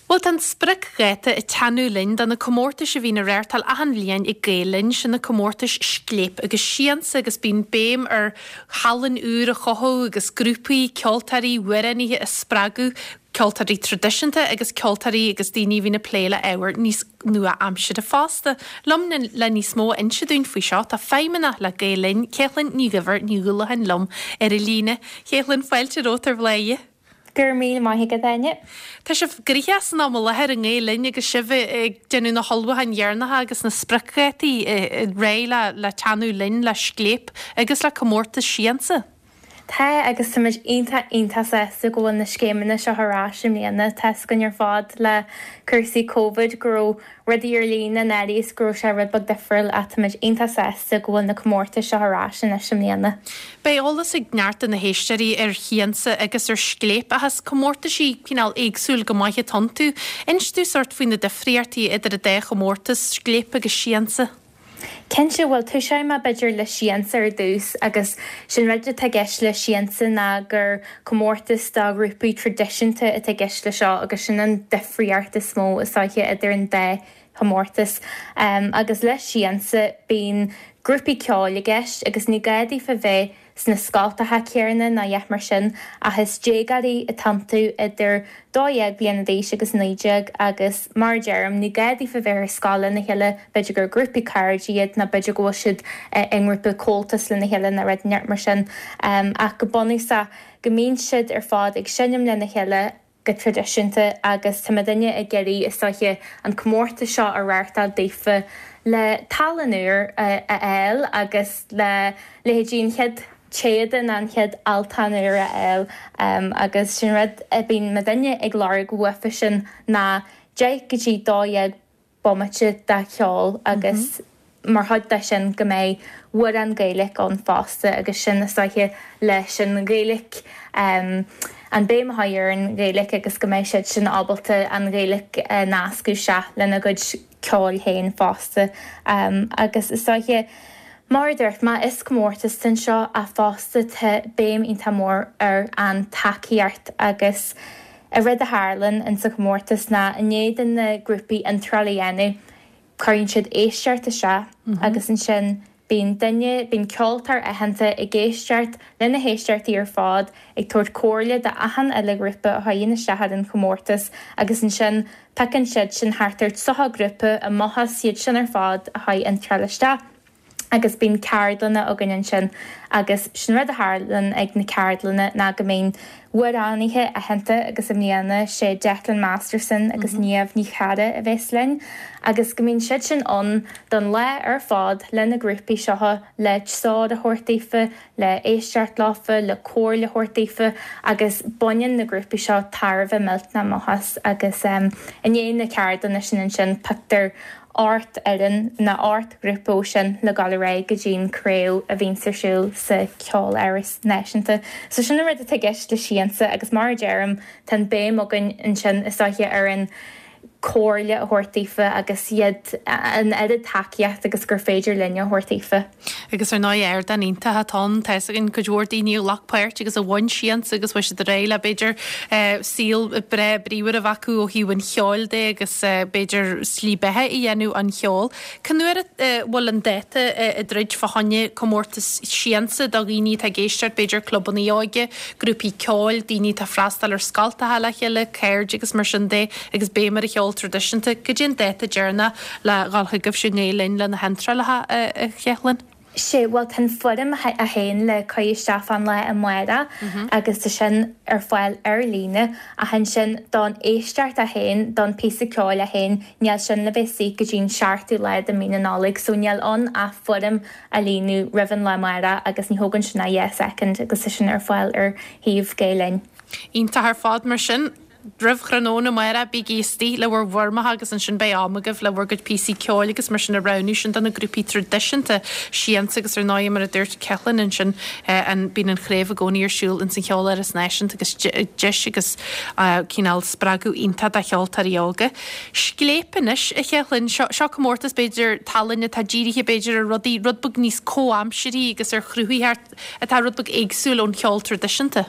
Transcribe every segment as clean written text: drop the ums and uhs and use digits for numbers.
Bhuel, tá an spriocdháta ag teannadh linn do na comórtais a bhíonn á reáchtáil achan bhliain ag Gael Linn, sin na comórtais Scléip agus Siansa agus bíonn béim ar thallann úr a chothú agus grúpaí, ceoltóirí, amhránaithe a spreagadh, ceoltóirí traidisiúnta agus ceoltóirí agus daoine a bhíonn ag plé le ábhar níos nua-aimseartha fosta. Liom le níos mó a inse dúinn faoi seo tá feidhmeannach le Gael Linn, Céithlinn Ní Dhuibhir Ní Dhúlacháin liom ar an líne. Chéithlinn, fáilte romhat ar Bhláthnaid. Go raibh míle maith agat, Áine. Tá sibh gnoitheach san am i láthair i nGael Linn agus sibh ag déanamh na hullmhúcháin dheireanacha agus na spriocdhátaí réidh le teannadh linn le Scléip agus le comórtas Siansa. Tá, agus táimid iontach, iontach sásta go bhfuil na scéimeanna seo ar ais i mbliana. Tá's againn ar fad le cúrsaí Covid go raibh rudaí ar líne anuraidh is go raibh sé rud beag difriúil ach táimid iontach sásta go bhfuil na comórtais seo ar ais anois i mbliana. Beidh eolas ag neart de na héisteoirí ar Shiansa agus ar Scléip ach is comórtaisí cineál éagsúil go maith atá iontu. Inis dúinn sórt faoi na difríochtaí idir an dá chomórtas, Scléip agus Siansa. Cinnte, bhuel toiseoidh mé b'fhéidir le Siansa ar dtús agus sé'n rud atá i gceist le Siansa ná gur comórtas do ghrúpaí traidisiúnta atá i gceist le seo agus sin an difríocht is mó is dóiche idir an dá chomórtas. Agus le Siansa bíonn grúpaí ceoil i gceist agus ní gá daofa bheith sna scoltacha céarna ná a dhath mar sin, ach is déagóirí atá iontu idir 12 bliana d'aois agus 19 agus mar a deirim, ní gá daofa bheith ar scoil lena chéile, b'fhéidir gur grúpaí cairde iad nó b'fhéidir go bhfuil siad i ngrúpa Comhaltas lena chéile nó rud inteacht mar sin ach go bunúsach go mbíonn siad ar fad ag seinm lena chéile. go traidisiúnta agus tá muidinne ag iarraidh, is dóiche, an comórtas seo a reáchtáil daofa le tallann úr a fháil agus le leithéidí an chéad téada nó an chéad altán úr a fháil agus sin rud a bíonn muidinne ag lorg uafa sin ná 10 go dtí 12 bomaite de cheol agus mar chuid de sin go mbeidh amhrán Gaeilge ann fosta agus sin is dóiche leis an Ghaeilge, an béim a chur ar an Ghaeilge agus go mbeidh siad sin ábalta an Ghaeilge a nascadh isteach lena gcuid ceoil féin fosta agus is dóiche mar a dúirt mé is comórtas é seo ach fosta tá béim iontach mór ar an tacaíocht agus An rud a tharlann in sa chomórtas ná i ndiaidh do na grúpaí iontráil a dhéanamh, cuireann siad éisteacht isteach agus ansin bíonn duine, bíonn ceoltóir aitheanta ag éisteacht le na héisteachtaí ar fad, ag tabhairt comhairle do achan uile ghrúpa a thagann isteach ar an chomórtas agus ansin piocann siad sin thart ar 30 grúpa amach as iad sin ar fad a chuir iontráil isteach. agus bíonn ceardlanna againn ansin agus sin rud a tharlann ag na ceardlanna ná go mbíonn amhránaithe aitheanta agus i mbliana sé Declan Masterson agus Niamh Ní Charra a bheas linn agus go mbíonn siad sin ann don lá ar fad le na grúpaí seo le treoir a thabhairt daofa, le éisteacht leofa, le comhairle a thabhairt daofa agus baineann na grúpaí seo tairbhe millteanach amach as agus i ndiaidh na ceardlanna sin ansin pioctar 8 fhoireann nó 8 ghrúpa ó sin le dul ar aghaidh go dtí an craobh a bhíonns ar siúl sa Cheoláras Náisiúnta. So sin an rud atá i gceist le Siansa agus mar a deirim tá an béim againn ansin is dóiche ar an comhairle a thabhairt daofa agus iad an oiread tacaíocht agus gur féidir linne a thabhairt daofa. Agus ar ndóigh ardán iontach atá ann, tá fhios againn cuid mhór daoine a ghlac páirt agus a bhain siansa agus chuaigh siad ar aghaidh le b'fhéidir saol breá bríomhar a bheith acu ó thaobh an cheoil de agus b'fhéidir slí beatha a dhéanamh ón cheol. Cén uair a bhfuil an dáta ag druid fá choinne comórtas siansa do dhaoine atá ag éisteacht, b'fhéidir clubanna óige, grúpaí ceoil, daoine atá ag freastal ar scoltacha le chéile, cairde agus mar sin de agus béim ar an cheol traidisiúnta. Cad é an dáta deireanach le dhul chugaibhse i nGael Linn le na hiontrálacha, a Chéithlinn? Sea, bhuel tá an foirm í féin le cur isteach fán lá amárach agus tá sin ar fáil ar líne ach ansin don éisteacht í féin, don píosa ceoil é féin, níl sin le bheith istigh go dtí an seachtú lá de mí na Nollag so níl ann ach foirm a líonadh roimh an lá amárach agus ní thógann sin ach 2 soicind agus tá sin ar fáil ar shuíomh Gael Linn. Iontach ar fad mar sin. Roimh thráthnóna amárach bígí istigh le bhur bhfoirmeacha agus ansin beidh am agaibh le bhur gcuid píosaí ceoil agus mar sin a roghnú sin do na grúpaí traidisiúnta siansa agus ar ndóigh mar a dúirt Céithlinn ansin an bíonn an chraobh i gcónaí ar siúl ins an Cheoláras Náisiúnta agus deis agus cineál spreagadh iontach do cheoltóirí óga. Scléip anois, a Chéithlinn, seo seo comórtas b'fhéidir tallainne atá dírithe b'fhéidir ar rudaí rud beag níos comhaimsearthaí agus ar chruthaitheacht atá rud beag éagsúil ón cheol traidisiúnta.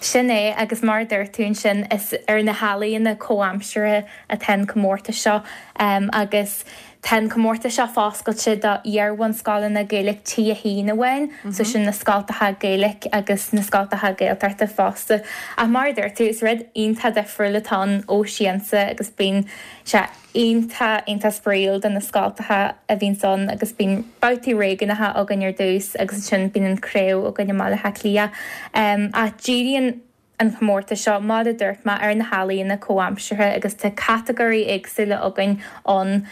Sin é, agus mar a dúirt tú ansin, is ar na healaíona comhaimseartha atá an comórtas seo agus tá an comórtas seo foscailte do iar-bhunscoileanna Gaeilge T1 amháin, so sin na scoltacha Gaeilge agus na scoltacha Gaeltachta fosta. Ach mar a dúirt tú, is rud iontach difriúil atá ann ó Siansa agus bíonn sé iontach, iontach spraíúil do na scoltacha a bhíonns ann agus bíonn babhtaí réigiúnacha againn ar dtús agus ansin bíonn an chraobh againn i mBaile Átha Cliath. Ach díríonn an chomórtas seo, mar a dúirt mé, ar na healaíona comhaimseartha agus tá catagóirí éagsúla againn ann,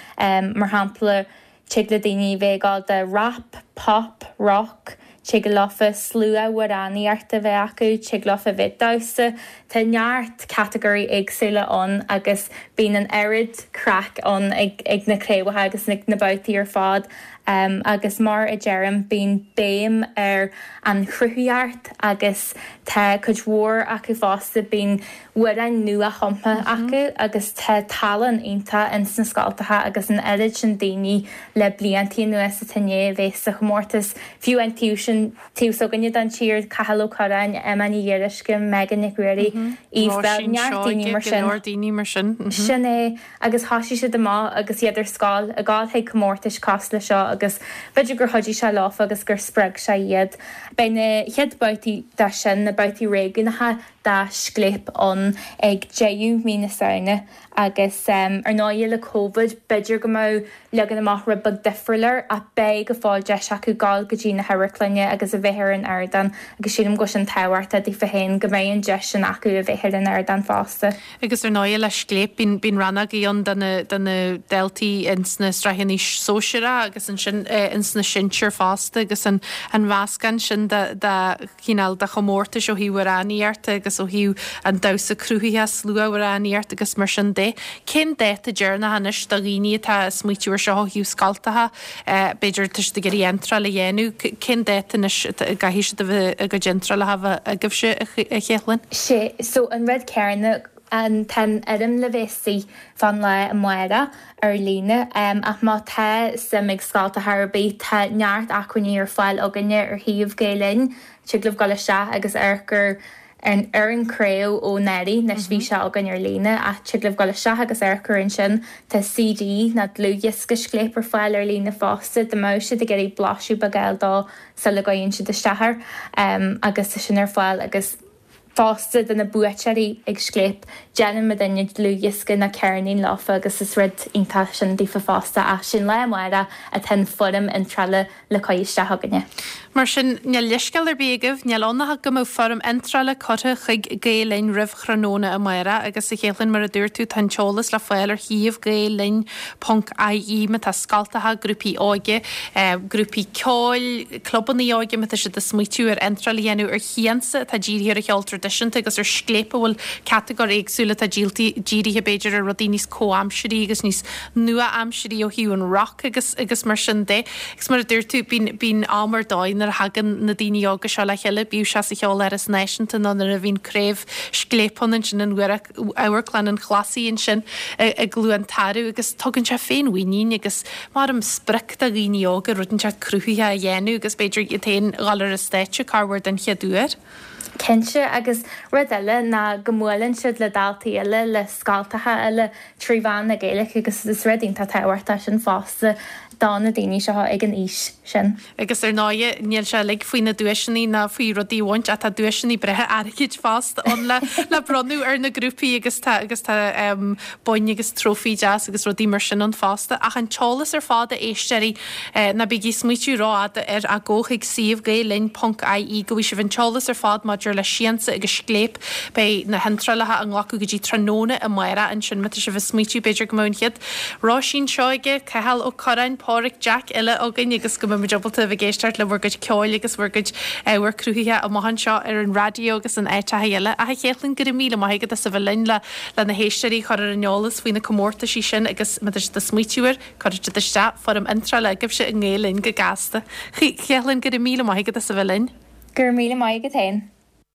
mar shampla, tig le daoine bheith ag gabháil do rap, pop, rock, tig leofa slua-amhránaíocht a bheith acu, tig leofa bheith ag damhsa. Tá neart catagóirí éagsúla ann agus bíonn an oiread craic ann ag ag na craobhacha agus ag na babhtaí ar fad. Agus mar a deirim, bíonn béim ar an chruthaitheacht agus tá cuid mhór acu fosta, bíonn amhráin nua-chumtha acu agus tá tallann iontach ins na scoltacha agus an oiread sin daoine le bliantaí anuas atá i ndiaidh a bheith sa chomórtas. Fiú an taobh sin, taobh s'againne den tír, Cathal Ó Curráin, Emma Ní Ghiorraisce, Megan Nic Ruairí, Eve Belle, Róisín neart daoine Seoige, mar go sin. leor daoine mar sin. Sin é, agus thoisigh siad amach agus iad ar scoil, ag gabháil chuig comórtais cosúil le seo agus b'fhéidir gur chuidigh sé leofa agus gur spreag sé iad. Beidh na chéad babhtaí de sin, na babhtaí réigiúnacha, de Scléip ann ag deireadh mí na Samhna agus ar ndóigh le Covid b'fhéidir go mbeadh leagan amach rud beag difriúil air ach beidh go fóill deis acu dul go dtí na hamharclainne agus a bheith ar an ardán agus sílim go bhfuil sin tábhachtach daofa féin go mbeidh an deis sin acu a bheith ar an ardán fosta. Agus ar ndóigh le Scléip bíonn bíonn rannógaí ann do na do na daltaí ins na sraitheanna sóisearacha agus ansin ins na sinsir fosta agus an an mheascán sin de de chineál de chomórtais ó thaobh amhránaíochta agus ó thaobh an damhsa cruthaitheach, slua-amhránaíocht agus mar sin de. Cén dáta deireanach anois do dhaoine atá ag smaoitiú ar seo ó thaobh scoltacha, b'fhéidir tá siad ag iarraidh iontráil a dhéanamh, cén dáta anois a gcaithfidh siad a bheith a gcuid iontrálacha a bheith agaibhse, a Chéithlinn? Sé, so an rud céanna, an, tá an fhoirm le bheith istigh fán lá amárach ar líne ach má tá suim ag scoltacha ar bith tá neart acmhainní ar fáil againne ar shuíomh Gael Linn, tig libh dul isteach agus amharc ar an ar an craobh ó anuraidh, anois bhí sé againn ar líne ach tig libh dul isteach agus amharc air ansin. Tá CD nó dlúthdhiosca Scléip ar fáil ar líne fosta dá mbeadh siad ag iarraidh blaiseadh beag a fháil dó sula gcuireann siad isteach air agus tá sin ar fáil agus fosta do na buaiteoirí ag Scléip. Déanann muidinne dlúthdhiosca nó ceirnín leofa agus is rud iontach sin daofa fosta ach sé'n lá amárach atá an foirm iontrála le cur isteach againne. Mar sin, níl leithscéal ar bith agaibh, níl ann ach go mbeadh foirm iontrála curtha chuig Gael Linn roimh thráthnóna amárach agus a Chéithlinn, mar a dúirt tú, tá an t-eolas le fáil ar shuíomh Gael Linn ponc ie má tá scoltacha, grúpaí óige, grúpaí ceoil, clubanna óige, má tá siad ag smaoitiú ar iontráil a dhéanamh ar Shiansa atá dírithe ar an cheol traidisiúnta agus ar Scléip a bhfuil catagóir éagsúil atá dírithe b'fhéidir ar rudaí níos comhaimsirí agus níos nua-aimsirí ó thaobh an rock agus agus mar sin de. Agus mar a dúirt tú, bíonn bíonn am ar dóigh nuair a thagann na daoine óga seo le chéile, bíodh sé sa Cheoláras Náisiúnta nó nuair a bhíonn craobh Scléip ann ansin in Amharclann an Chlasaigh ansin i gCluain Tarbh agus tugann sé féinmhuinín agus mar sprioc do dhaoine óga rud inteacht cruthaitheach a dhéanamh agus b'fhéidir iad féin a dhul ar an stáitse corruair den chéad uair. Cinnte, agus rud eile ná go mbuaileann siad le daltaí eile, le scoltacha eile trí mheán na Gaeilge agus is rud iontach tábhachtach sin fosta do na daoine seo ag an aois sin. Agus ar ndóighe, níl sé uilig faoi na duaiseanna ná faoi rudaí a bhaint ach tá duaiseanna breátha airgid fosta ann le le bronnadh ar na grúpaí agus tá agus tá boinn agus trófaí deas agus rudaí mar sin ann fosta. Ach an t-eolas ar fad a éisteoirí, ná bígí ag smaoitiú rófhada air ach gabh chuig suíomh Gael-Linn ponc ie go bhfaighidh sibh an t-eolas ar fad maidir le Siansa agus Scléip. Beidh na hiontrálacha á nglacadh go dtí tráthnóna amárach ansin má tá sibh ag smaoitiú b'fhéidir go mbeadh an chéad Róisín Seoige, Cathal Ó Curráin, Pádhraic Jack uile againn agus go mbeidh muid ábalta a bheith ag éisteacht le bhur gcuid ceoil agus bhur gcuid ábhar cruthaitheach amach anseo ar an raidió agus in áiteacha eile. Ach a Chéithlinn, go raibh míle maith agat as a bheith linn le le na héisteoirí a chur ar an eolas faoi na comórtaisí sin agus má tá siad ag smaoitiú air, cuirfidh siad isteach foirm iontrála agaibhse i nGael Linn go gasta. Chéithlinn, go raibh míle maith agat as a bheith linn. Go raibh míle maith agat féin.